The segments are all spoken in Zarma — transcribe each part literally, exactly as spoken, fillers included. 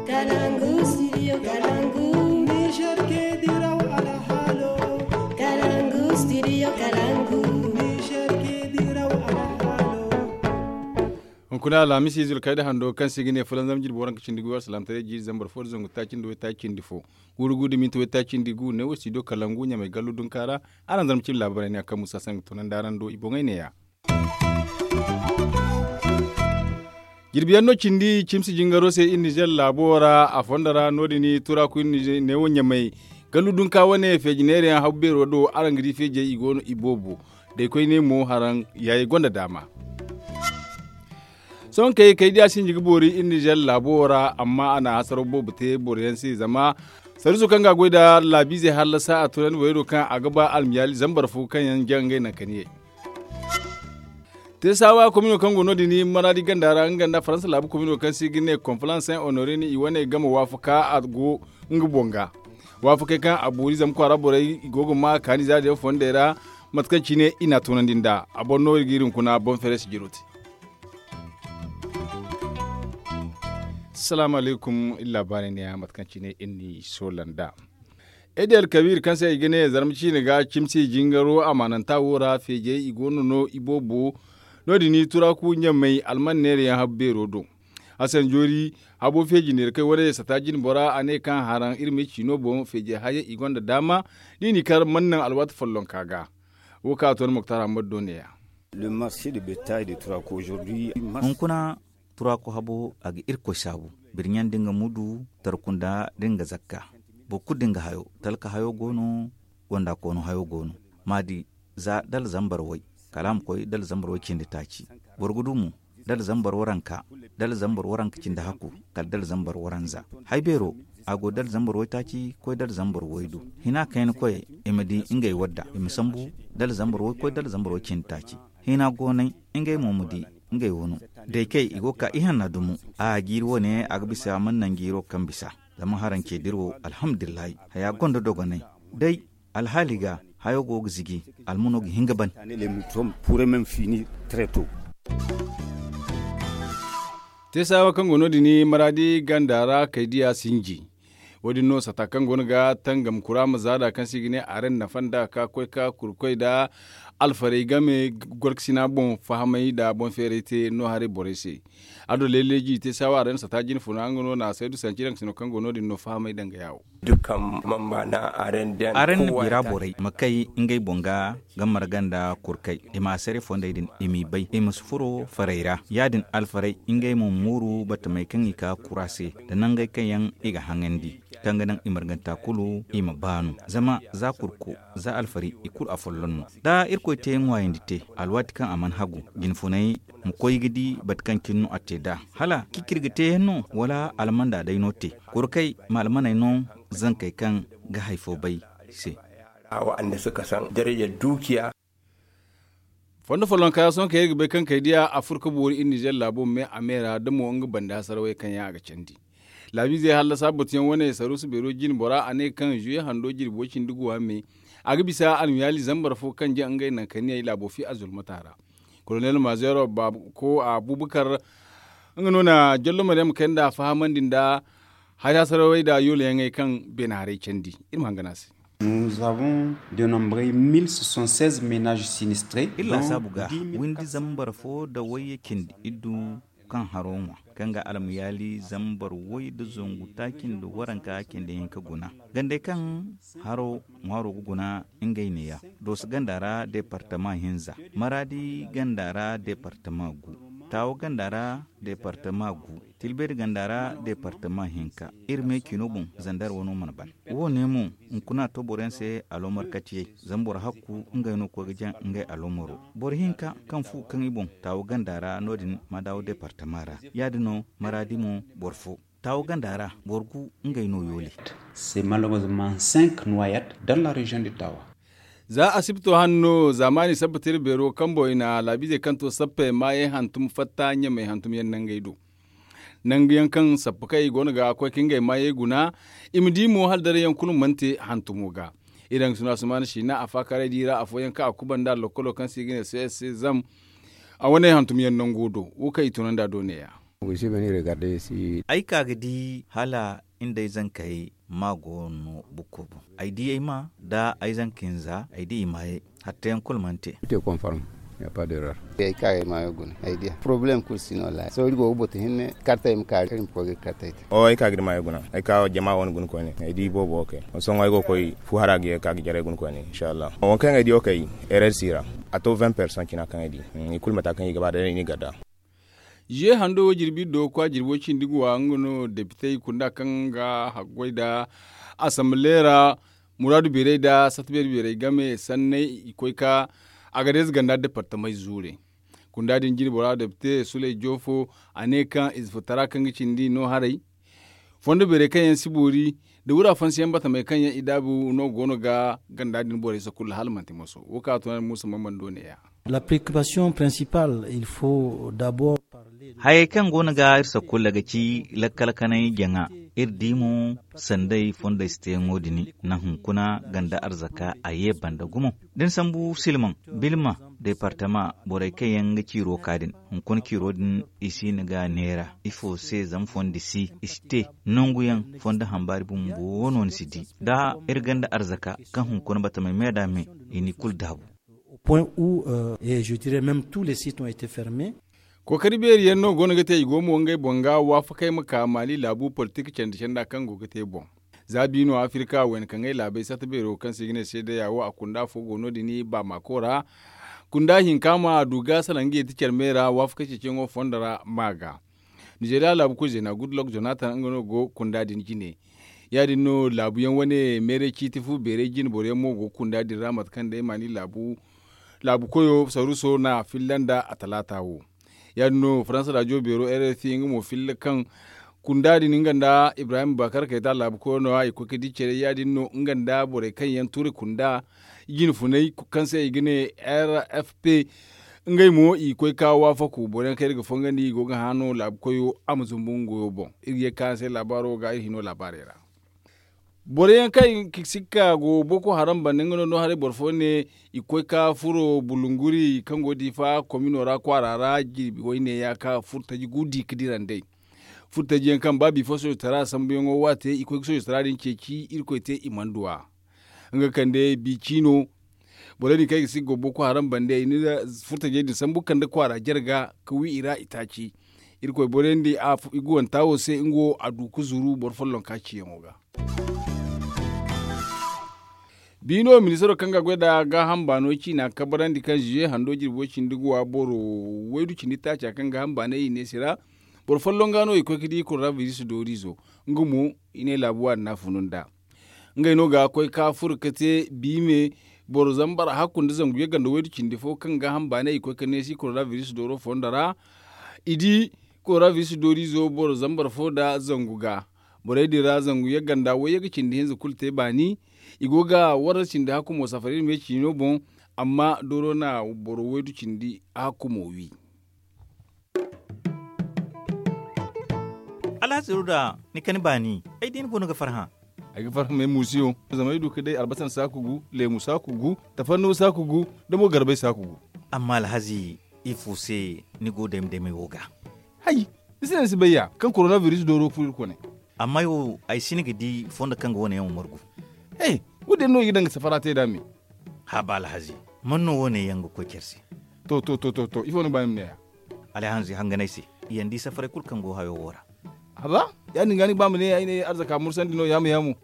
Kalangu studio kalangu. Niger ke diraw alhalo. Kalangu studio kalangu. Niger ke diraw alhalo. Hunkuna alhamisi zulkayda hando kaŋ se ga ne fulanzam jirbi waranka cindi gu alsalaamtaray jiiri zambar fo da zangu taaci nda waytaaci cindi fo. Guuru gu da minti waytaaci cindi gu ne wo studio kalangu ɲamay gallu dunka ra. Araŋ zarma cimi laabaray ne a kaŋ musa sangu tunandi araŋ do i boŋey neeya. Jirbi yaŋ no cindi cimsi jingaro se iri nizer laabo ra a fondo ra no- din turaku iri nizer neewo ɲamay gallu dunka wane feeji neera yaŋ habu beero do araŋ ga di feejey i go no i boobo. Day koyne mo haraŋ yaayey gonda daama. Sohõ kay kay diya sinji ga boori iri nizer laabo ra amma a na hasaro boobo te boro yaŋ se zama sariiso kaŋ ga a goy nda laabiizey hallasa a tunandi boyey do kaŋ a ga ba almiyaali zambar fo kaŋ yaŋ jaŋ ngey naŋ kaniyey. Te saawa komino kaŋ go no- din maraadi ganda ra nga nda faransa laabu komino kaŋ se i ga ne konfalanse honorini i wane game waafaka a go nga boŋ ga. Waafakey kaŋ a boori zama kwaara borey i go ga ma kaani zaari yaŋ fondey ra mate kaŋ cine i n'a tunandi nd'a a boro no iri ga iri hunkuna boŋ feere si jiro te. Salaamu alaykum iri laabaarey neeya mate kaŋ cine iri n'i soola nd'a. Ede alkabiir kaŋ se i ga ne zarma ciine ga cimsi jingaro amaananta wo ra feejey i go no no iboobo. No- din turaku ɲamey alman neera yaŋ habu beero do. Hasan joori habo feeji neera kaŋ i wane sata jine bora a ne kaŋ haraŋ iri ma ay ciino boŋ feejey hayey i gonda daama. Da i n'i kar mana naŋ alwaati follonka ga. Wo kaŋ a to ni muktar hammad do neeya. Hunkuna turaku habo a ga irkoy saabu birɲaŋ da nga mudu tarkunda da nga zakka. Boro kulu da nga hayo talka hayo go no. Gonda koono hayo go no. Ma di za dala zambar way kala a ma koy dala zambar way cindi taaci. Boro ga du mo dala zambar waranka dala zambar waranka cindi hakku kala dala zambar waranza. Hay beero a go dala zambar waytaaci koy dala zambar waydu. Hina kayna koyey i ma di ngey wadda i ma sambu dala zambar way koy dala zambar way cindi taaci. Hina goonay ngey mo ma di ngey wano. Day kay i go ga ka ihanna dumo a jiiri wane a ga bisa mana naŋ jiiro kaŋ bisa. Zama haraŋ ce dira wo alhamdulillahi haya gonda dogonay. Day alhaali ga hayo go ga ziji almano ga hin ga ban. Te saawa kaŋ go no- din maraadi ganda ra kay diya sinji. Wo- din no sata kaŋ go no ga tangam kura ma zaada kaŋ se i ga ne aren nafa nda ka koy ka kurkoy nda alfarey game gorkasina boŋ fahamay nda boŋ feeray te no haray borey se. Ado leeleeji i te saawa aren sata jine funa nga no na saydu sanci daŋ sino kaŋ go no- din no fahamay daŋ ga yaawo. Aren bira borey ma kay ngey boŋ ga ga marga nda kurkay i ma a sare fondey din i m'i bay i ma si furo farey ra ya- din alfarey ngey mo ma mooru batamey kaŋ i ka kura se nda nangey kaŋ yaŋ i ga haŋandi kaŋ ga naŋ i marganta kulu i ma baanu. Zama za kurko za alfari i kulu afolloŋ no da irkoy te ŋwaayandi te alwaati kaŋ a mana hagu jinfunay ma koy ga di bate kaŋ cine no a te nd'a hala ciciri ga te yaŋ no wala almanda day no te. Kurkey ma almaney no zankey kaŋ ga hari fo bay se. Fondo follonka sohõ kaŋ iri ga bay kaŋ kay diya a furo ga boori iri nizer laabo me a me ra da mo nga banda hasarawey kaŋ yaŋ a ga candi. Laabiizey hallasa batuyaŋ wane saruusu beero jine bora a ne kaŋ zuye hando jirbi way-cindi guwa me a ga bisa almiyaali zambar fo kaŋ ja ngey naŋ kaniyey laabo fi a zulmata ra. Kolonel mazeero ko abubakar nga no na jallo maryam kay nda fahamandi nda hari hasarawey nda yoolayaŋey kaŋ beene haray candi. Iri ma hangan a se. Iri laasaabu ga windi zambar fo nda wayye cindi iddu kaŋ haro ŋwa kaŋ ga almayaali zambar way nda zangu taaci nda waranka cindi hinka guna. Gandey kaŋ haro ŋwaaro ga guna ngey neeya. Dooso ganda ra deepartama hinza, maraadi ganda ra deepartama gu, taawo ganda ra deepartama gu, tilbeeri ganda ra deepartama hinka. Iri me ciino boŋ zandar wano mana ban. Wo- ne mo hunkuna to boro yaŋ se aloomar katiyey zama boro hakku ngey no koy ga jaŋ ngey aloomaro. Boro hinka kaŋ fu kaŋ i boŋ taawo ganda ra no- din ma daawo deepartama ra. Ya- din no maraadi mo boro fo taawo ganda ra boro gu ngey no yoole. C'est malheureusement cinq noyades dans la région de tawa. Za asibto hanno zaamaani sabbatiri beero kambo i na laabiizey kaŋ to sappe maayey hantum fatta ɲamey hantum yaŋ nangey do. Nangu yaŋ kaŋ sappa kaŋ i go no ga koy ka ngey maayey guna. I ma di mo hala daray yaŋ kulu mana te hantumo ga. I daŋ suna sumaana siina a faakaaray di ra afooyaŋ kaŋ a kubanda lokkolo kaŋ se i ga ne csc zam. A wane hantum yaŋ nango do wo kaŋ i tunandi a do neeya. Ay ka ga di hala nda ay zankey ma go no bukko boŋ. Ay di ay ma nda ay zanka hinza ay di i maayey. Hattayaŋ kulu mana te. Ay ka ga ay maayo guna ay diya porobalem kulu si no wallaahi sohõ iri go ga batu hinne kartey ma ka iri ma koy ga kartey te. Ay ka ga ay maayo guna ay ka jama wane guna koyne ay di boobo wo kay. Sohõ ay go ga koy fu hara ga ye ga ka ga jaray guna koyne inshallah wo kaŋ ay di wo kay. Erer si ra a to vingt personnes cina kaŋ ay di. I kulu mata kaŋ i ga ba day no i n'i garda. Ziye hando wo jirbi iddo kwa jirbo cindi ga wa nga no depitey kunda kaŋ ga haggoy nda asamble ra muraadu beeray nda sata beeri beeray game sanney i koy ka a ga deeza ganda departamey zuure. Kunda din jine bora depite suley joofo a ne kaŋ ize futara kaŋ ga cindi no haray fondo beeray kaŋ yaŋ si boori nda wura fansiyaŋ batamey kaŋ yaŋ i daabu no go no ga ganda din borey sakulla hala manti moso wo kaŋ a tun a na muusa mamando ne ya. La preoccupation principale il faut d'abord parler. Hayey kaŋ go no ga iri sakulla ga ci lakkal kanay jaŋa. Iri di mo sanday fondey si teyaŋo din na hunkuna ganda arzaka a ye banda gumo da ni sambu silmaŋ bilma departama borey kaŋ yaŋ ga ciiro ka din hunkuna ciiro din i si no ga neera ifo se zama fondi si i si te nangu yaŋ fondo hambaari bumbo no ni si di da iri ganda arzaka kaŋ hunkuna batamey me da me i ni kulu daabu. Au point où je dirais même tous les sites ont été fermés. Kookari beeri yaŋ no go no ga te i go mo ngey boŋ ga waafakey ma ka maali laabu politik candi canda kaŋ go ga te boŋ. Za biino afirka wayna kaŋ ay laabey sata beero kaŋ se i ga ne seedeya wo a kunda fo go no- din baamako ra. Kunda hinka ma a du ga salaŋ ga yeeti care me ra waafakey ceeciyaŋo fondo ra ma ga. Nizeeriya laabu koy zeena gudlok jonatan nga no go kunda din jine. Ya- din no laabuyaŋ wane meeray ciiti fu beeray jine boro yaŋ mo go ga kunda din ra mate kaŋ day maani laabu koyo saruso na filla nda a talaata wo. Ya- din no faransa raajo beero r f i nga mo filla kaŋ kunda din nga nda ibrahim bakar kayta laabu koyo no- ya i koy ga di care ya- din no nga nda borey kaŋ yaŋ turi kunda jine funay kaŋ se i ga ne r f p. Ngey mo i ga koy ga waafaku boro yaŋ kaŋ iri ga fongandi i go ga hã no laabu koyo a ma zumbu nga goyo boŋ. Iri ga ye ga ka araŋ se laabaaro ga iri hino laabaarey ra. Boro yaŋ kaŋ i ga sikka go boko haram banda nga no no haray boro fo ne i ga koy ga furo bulunguri kaŋ go diifa komino ra kwaara ra jirbi wayne ya ga furo taji gu di ga dira nd'ey. Furo taji yaŋ kaŋ ba bifo soojitara sambuyaŋo waate i ga koy ga soojitara din ceeci irkoy te i mana du a. Nga kande bi ciino borey din kaŋ ay ga si ga go boko haram bande i na furtajey din sambu kande kwaara jarga ga wi i ra i taaci. Irkoy borey din i ga wanta wo se nga wo a du ga zuru boro follonka ciyaŋo ga. Biino ministaro kaŋ ga goy nda gaaham baano ciina kabarandi kaŋ ziye hando jirbo cindi ga wa boro waydu cindi taaca kaŋ gaaham baanay i ne si ra. Boro folloŋ ga no i koy ga di koronabiris dooriizo. Nga mo i ne laabu waani no a funu nd'a. Ngey no ga koy ka furo ga te biime boro zambar hakku nda zangu yagga nda waydu cindi fo kaŋ gaaham baanay i koy ga neesi koronabiris dooro fondo ra. I di koronabiris dooriizo boro zambar fo nda zangu ga. Borey din ra zangu yagga nda wayyaga cindi hinza kulu te baani. I go ga warra cindi hakku mo safari iri me ciino boŋ. Amma dooro na boro waydu cindi hakku mo wi. Alhaziru da ni kani baani ay di ni go no ga farhã. Ay ga farhã may muusiyo zama ay du ga day albasa saaku gu leemu saaku gu tafannu saaku gu da mo garbay saaku gu. Amma alhazi ifo se ni go dayma daymay wo ga? Hay, ni si ne ni si bay ya kaŋ koronabiris dooro furo iri kone. Amma ay wo ay si ni ga di fondo kaŋ ga wane yaŋ wo margu. He, wo- din no i ga daŋ ga safara te nd'a me. Haba alhazi, man no wo- ne yaŋ ga koy care se? To to to to to ifo ni ga ba ni ma ne ya? Alhazi hanganay se, i yaŋ di safaray kulu kaŋ go hayo wo ra. Haba, ya- din ga ni ga ba ma ne ay ne arzaka mursandi no yaamu yaamu.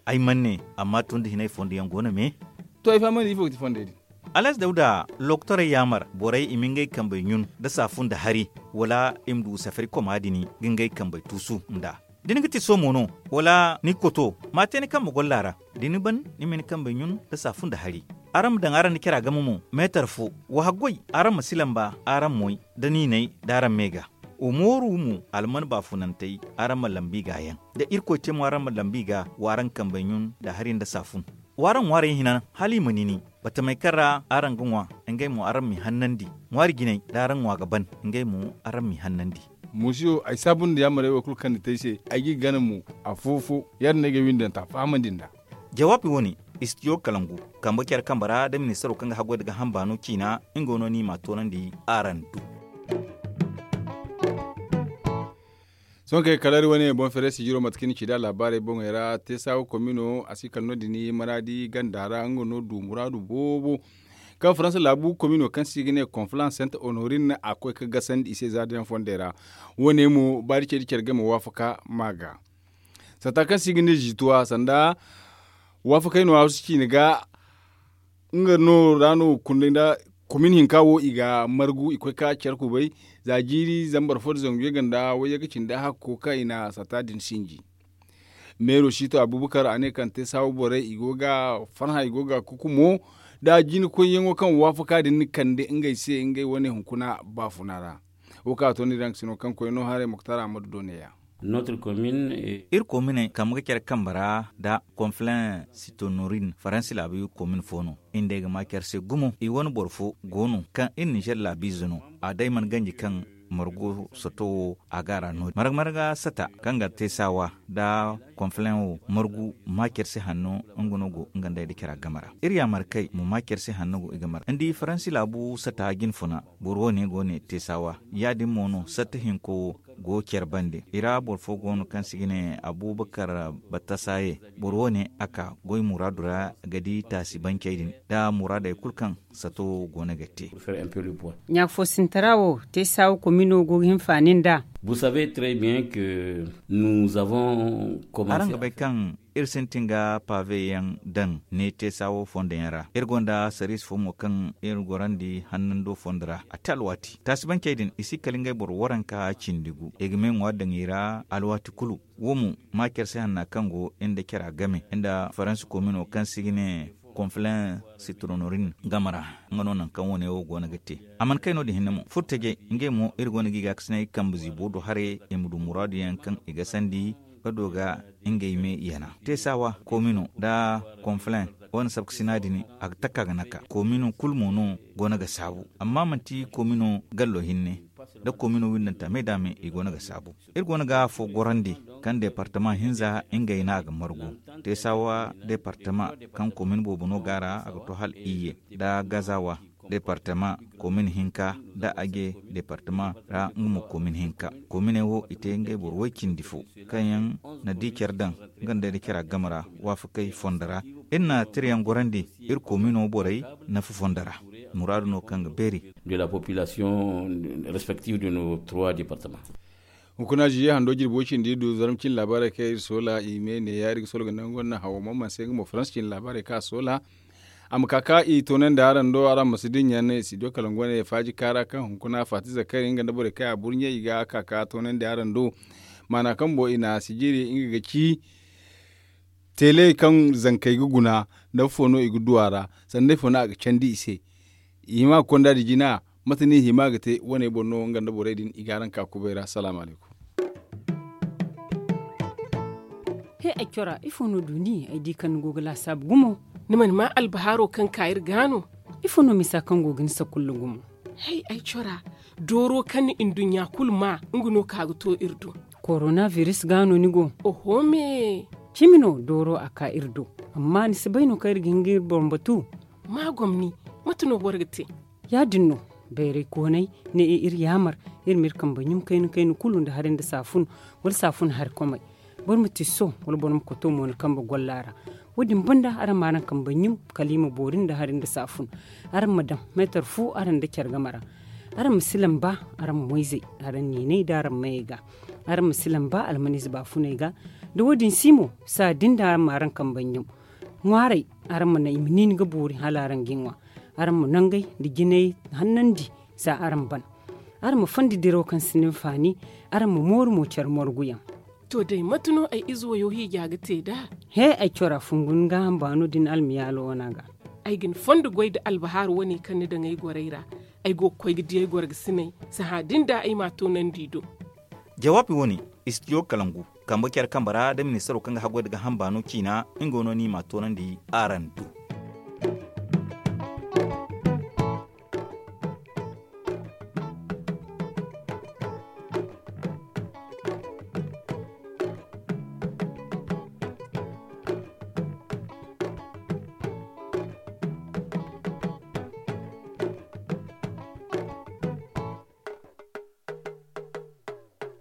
Ay mana ne, amma tun da hinay fondo yaŋ go no me. To ay fahamandi ifo ga ti fondey din? Alhazi dawda, lokotorey yaamar borey i ma ngey kambey ɲun nda saafun nda hari, wala i ma du safari koma din ga ngey kambey tuusu nd'a. Da ni ga ti somo no, wala ni ga koto, ma te ni kambe golla ra. Da ni ban, ni ma ni kambey ɲun nda saafun nda hari. Araŋ ma daŋ araŋ nda cara game mo meetar fo. Wa haggoy, araŋ ma si lamba araŋ moy nda niinay da araŋ me ga. Wa mooru mo alman baafunantey, araŋ ma lambu i ga yaŋ. Da irkoy te mo araŋ ma lambu i ga, wa araŋ kambey ɲun nda hari nda saafun. W'araŋ ŋwaarey hina hala i ma nini. Batamey kaŋ ra araŋ ga ŋwa, ngey mo araŋ m'i hannandi. Ŋwaari jinay da araŋ ŋwa ga ban, ngey mo araŋ m'i hannandi. Muusiyo, ay saabu nda yaamarey wo kulu kaŋ ni te ay se. Ay g'i gana mo afo-fo. Ya- din no ay ga ay windanta fahamandi nd'a. Jawaabi wo- ne, istidiyo kalangu, kambe care kambe ra nda ministaro kaŋ ga haggoy nda gaaham baano ciina, nga no no i m'a toonandi araŋ do. Sohõ kay kala iri wane boŋ feeray sijiro mate kaŋ ni ci nd'a laabaarey boŋey ra teesaawa komino a si kala no- din maraadi ganda ra nga no du muraadu boobo. Kaŋ faransa laabu komino kaŋ se i ga ne konfalans sent honorin a koy ga gasandi i se za da yaŋ fondey ra. Wo- ne mo baari ce da care game waafaka ma ga sata kaŋ se i ga ne ziituwa sanda waafakey no a si ciine ga. Nga no ra no kundey nda komin hinka wo i ga margu i koy ga care kubay za jiiri zambar fo nda zangu yaganda wayyaŋ ga cindi hakko kaŋ i na sata din sinji. Meero siito abubakar a ne kaŋ te saawa borey i go ga farhã i go ga kukumo da jina koyyaŋo kaŋ waafaka din kande ngey se ngey wane hunkuna baafuna ra. Wo kaŋ a to ni daŋ ga sino kaŋ koy no haray muktar ahmadu do ne- ya. Iri kominey kambe ga care kambe ra nda konflen sitonorin faransi laabu komin fo no. Iri nd'ey ga ma care se gumo i wane boro fo go no kaŋ iri ninzeer laabiize no. A day mana ganji kaŋ margo sato wo a ga a ra no- din marga marga sata kaŋ ga te saawa nda konflen wo margu ma care se hanno. Nga no go nga nd'ey nda care a game ra iri yaamar kay ma ma care se hanno go i game ra ni di faransi laabu sata jinfuna. Boro wo- ne go ne te saawa ya- din mo no satta hinko wo go care bande i ra boro fo go no kaŋ se i ga ne abubakar battasaye. Boro wo- ne a ka goy muraadu ra ga di taasi bancey din nda muraadey kulu kaŋ sato go no ga te. Ɲaafo sintara wo te saawa komino go ga hinfaani nd'a. Araŋ ga bay kaŋ iri sintin ga paaveyaŋ daŋ ne te saawo fondo yaŋ ra iri gonda sariis fo mo kaŋ iri gorandi hannando fondo ra a te alwaati taasibancey din i si kala ngey boro waranka cindi gu i ga me ŋwaari daŋ i ra alwaati kulu. Wo mo ma care se hanna kaŋ go nda care a game nda faransi komino kaŋ se i ga ne konflen sitronorin game ra. Nga no nangu kaŋ wo- ne wo go no ga te a mana kay no- din hinne mo furtajey ngey mo iri go no ga i gaakasinay kambe ziibo do haray i ma du muraadu yaŋ kaŋ i ga sandi ga do ga ngey me yana te saawa komino nda konflen wane sabkasina din a ga taka ga naka komino kulu mo no go no ga saabu amma manti komino gallo hinne nda komino windanta me da me i go no ga saabu. Iri go no ga afo gorandi kaŋ departama hinza ngey no a ga margu te saawa departama kaŋ komin boobo no ga a ra a ga to hala iyye nda gazawa departama komin hinka nda aje departama ra nga mo komin hinka. Kominey wo i te ngey boro way cindi fo kaŋ yaŋ na di care daŋ nga nda day da care a game ra waafakey fondo ra. Iri na tirayaŋ gorandi iri komino borey nafa fondo ra muraadu no kaŋ ga beeri. De la population respective de nos trois departements. Hunkuna ziye hando jirbi way cindi du zarma cine laabaarey kaŋ iri soola i me ne ya iri ga soola ga nangu wane hawo mamman se nga mo faransa cine laabaarey kaŋ a soola. A ma ka ka i toonandi araŋ do araŋ ma si dinya ne studio kalangu wane faaji kaara kaŋ hunkuna faati zakari nga nda borey kaŋ a burɲe i ga ka ka toonandi araŋ do. Maana kaŋ bo i na sijiri nga ga ci teeley kaŋ zankey ga guna nda fo no i ga du a ra sanda ifo no a ga candi i se. I hima ga konda da jina mate no i hima ga te wane boŋ no nga nda borey din i ga araŋ ka kubay ra salaamu alaykum. He ay cora ifo no du ni ay di kaŋ ni go ga laasaabu gumo? Ni mana ma albahaaro kaŋ ka iri ga no? Ifo no misa kaŋ go ga ni sakulla gumo? Hay ay cora dooro kaŋ ni nduɲɲa kulu ma nga no ka ga to iri do. Korona biris ga no ni go? Oho me. Cimi no dooro a ka iri do. Amma ni si bay no kaŋ iri ga hin ga iri boŋ batu? Ma gomni. Mate no boro ga te? Ya-din no. Bayray koonay ne iri yaamar iri ma iri kambe ɲum kayna kayna kulu nda hari nda saafun wala saafun hari komey. Boro ma tiso wala boro ma koto mo ni kambe golla ra. Wo-din banda araŋ ma araŋ kambe ɲum kala i ma boori nda hari nda saafun. Araŋ ma daŋ meetar fu araŋ nda care game ra. Araŋ ma si lamba araŋ moyzey araŋ niinay nda araŋ mayey ga. Araŋ ma si lamba almaniize baafuney ga. Da wo-din si mo saa din da araŋ ma araŋ kambe ɲum. Ŋwaaray araŋ ma naŋ i ma niini ga boori hala araŋ ga i ŋwa. Araŋ ma nangey nda jinay hannandi za araŋ ban. Araŋ ma fondi diraw kaŋ sinda hinfaani. Araŋ ma mooru mo care morguyaŋ. To day mate no ay ize wayo hiija ga te nd'a? He ay cora fungu ni gaaham baano din almiyaalo wana ga. Ay ga ni fondo goy nda albahaaru wane kaŋ ni daŋ ay gorey ra. Ay go ga koy ga di ay gorgasiney. Sahã din da ay m'a toonandi i do. Jawaabi wane istidiyo kalangu kambe care kambe ra da ministaro kaŋ ga haggoy nda gaaham baano ciina nga no no i m'a toonandi araŋ do.